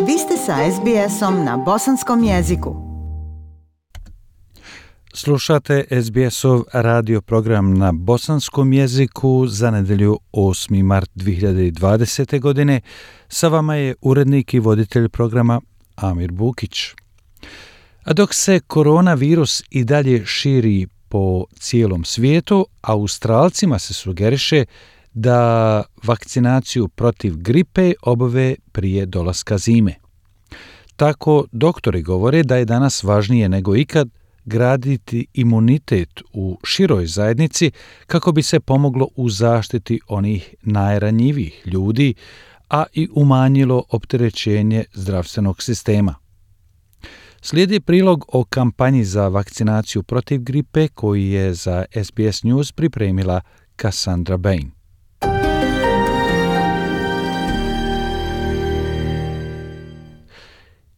Vi ste sa SBS-om na bosanskom jeziku. Slušate SBS-ov radio program na bosanskom jeziku za nedelju 8. mart 2020. godine. Sa vama je urednik i voditelj programa Amir Bukić. A dok se koronavirus i dalje širi po cijelom svijetu, Australcima se sugeriše da vakcinaciju protiv gripe obave prije dolaska zime. Tako doktori govore da je danas važnije nego ikad graditi imunitet u široj zajednici kako bi se pomoglo u zaštiti onih najranjivijih ljudi, a i umanjilo opterećenje zdravstvenog sistema. Slijedi prilog o kampanji za vakcinaciju protiv gripe koji je za SBS News pripremila Cassandra Bain.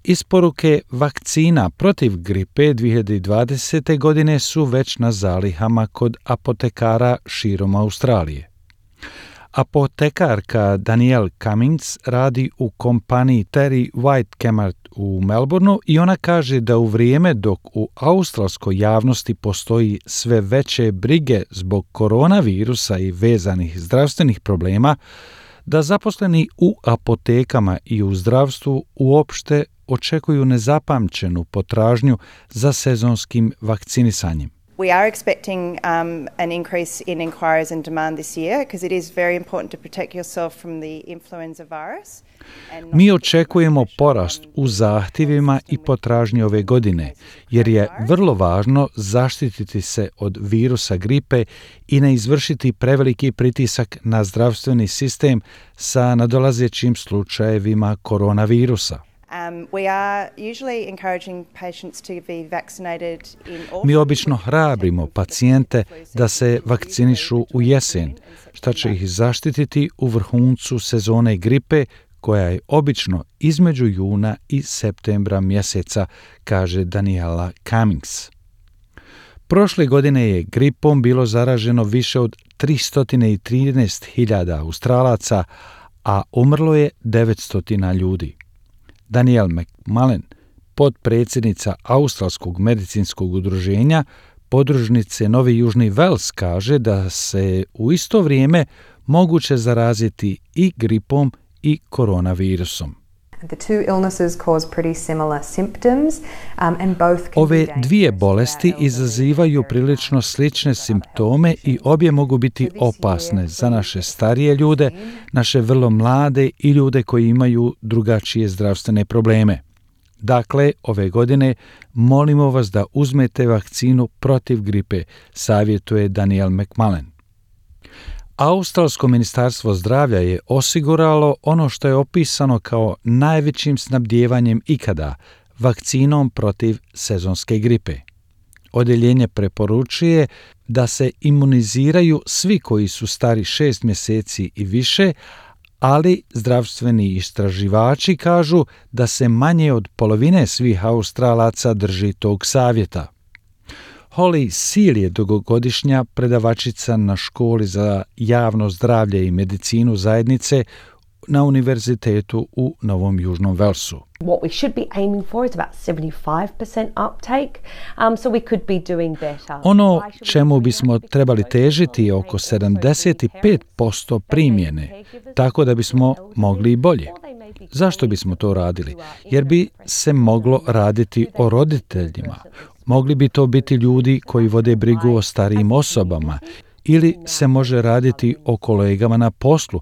Isporuke vakcina protiv gripe 2020. godine su već na zalihama kod apotekara širom Australije. Apotekarka Danielle Cummings radi u kompaniji Terry White Kmart u Melbourneu i ona kaže da u vrijeme dok u australskoj javnosti postoji sve veće brige zbog koronavirusa i vezanih zdravstvenih problema, da zaposleni u apotekama i u zdravstvu uopšte očekuju nezapamćenu potražnju za sezonskim vakcinisanjem. We are expecting an increase in inquiries and demand this year because it is very important to protect yourself from the influenza virus. Mi očekujemo porast u zahtjevima i potražnji ove godine, jer je vrlo važno zaštititi se od virusa gripe i ne izvršiti preveliki pritisak na zdravstveni sistem sa nadolazećim slučajevima koronavirusa. Mi obično hrabrimo pacijente da se vakcinišu u jesen, što će ih zaštititi u vrhuncu sezone gripe koja je obično između juna i septembra mjeseca, kaže Daniela Cummings. Prošle godine je gripom bilo zaraženo više od 313.000 Australaca, a umrlo je 900 ljudi. Danielle McMullen, potpredsjednica Australskog medicinskog udruženja, podružnice Novi Južni Vels, kaže da se u isto vrijeme zaraziti i gripom i koronavirusom. Ove dvije bolesti izazivaju prilično slične simptome i obje mogu biti opasne za naše starije ljude, naše vrlo mlade i ljude koji imaju drugačije zdravstvene probleme. Dakle, ove godine molimo vas da uzmete vakcinu protiv gripe, savjetuje Danielle McMullen. Australsko ministarstvo zdravlja je osiguralo ono što je opisano kao najvećim snabdijevanjem ikada, vakcinom protiv sezonske gripe. Odjeljenje preporučuje da se imuniziraju svi koji su stari 6 mjeseci i više, ali zdravstveni istraživači kažu da se manje od polovine svih Australaca drži tog savjeta. Holly Seal je dugogodišnja predavačica na školi za javno zdravlje i medicinu zajednice na univerzitetu u Novom Južnom Velsu. What we should be aiming for is about 75% uptake, so we could be doing better. Ono čemu bismo trebali težiti je oko 75% primjene, tako da bismo mogli i bolje. Zašto bismo to radili? Jer bi se moglo raditi o roditeljima. Mogli bi to biti ljudi koji vode brigu o starijim osobama ili se može raditi o kolegama na poslu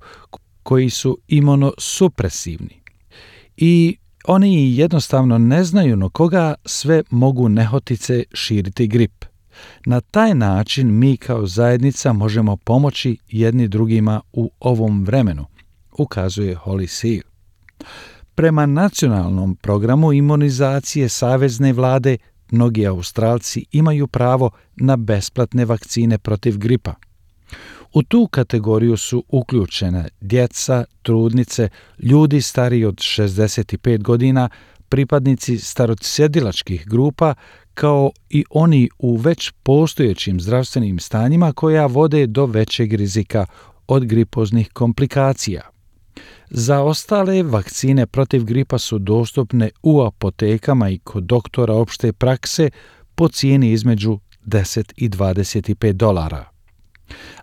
koji su imunosupresivni. I oni jednostavno ne znaju na koga sve mogu nehotice širiti grip. Na taj način mi kao zajednica možemo pomoći jedni drugima u ovom vremenu, ukazuje Holly Seal. Prema nacionalnom programu imunizacije savezne vlade, mnogi Australci imaju pravo na besplatne vakcine protiv gripa. U tu kategoriju su uključene djeca, trudnice, ljudi stariji od 65 godina, pripadnici starosjedilačkih grupa, kao i oni u već postojećim zdravstvenim stanjima koja vode do većeg rizika od gripoznih komplikacija. Za ostale, vakcine protiv gripa su dostupne u apotekama i kod doktora opšte prakse po cijeni između $10 i $25.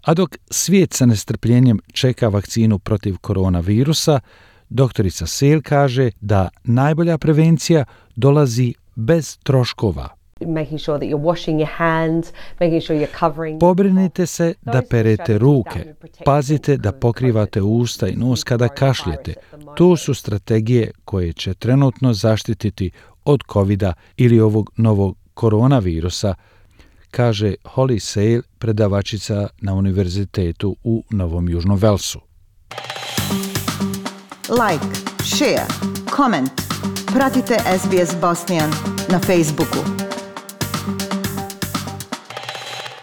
A dok svijet sa nestrpljenjem čeka vakcinu protiv koronavirusa, doktorica Sale kaže da najbolja prevencija dolazi bez troškova. Making sure that you're washing your hands, making sure you're covering. Pobrinite se da perete ruke, pazite da pokrivate usta i nos kada kašljete. To su strategije koje će trenutno zaštititi od covida ili ovog novog koronavirusa, kaže Holly Sale, predavačica na univerzitetu u Novom Južnom Velsu. Like, share, comment. Pratite SBS Bosnian na Facebooku.